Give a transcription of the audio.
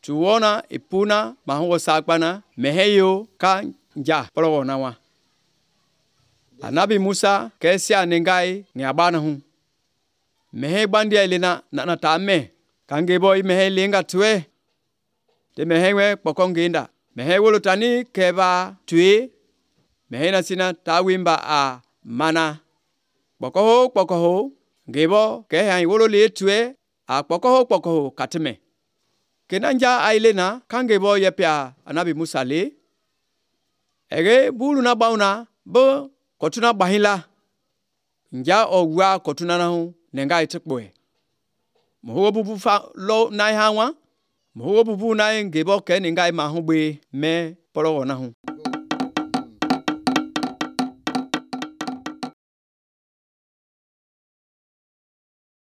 tuona ipuna mahuo sakpana meheyo kanja poloona wa. Anabi Musa kesia nengai ni abana hu. Mehe bandia ilena na tame kangebo mehe linga tue. Te mehewe pokonginda. Mehe wolutani keba tue. Mehe nasina tawimba a mana. Pokoho gebo ke hai wolole tue a pokoho katime. Kenanja ailena kangebo yepia Anabi Musa le. Ege bulu na bauna bo kotuna bahila. Nja ogwa kotuna na hu nengai tekboe. Moho bubu fa lo nai hawa. Moho bubu nai ngebo ke nengai mahube me polo na hu.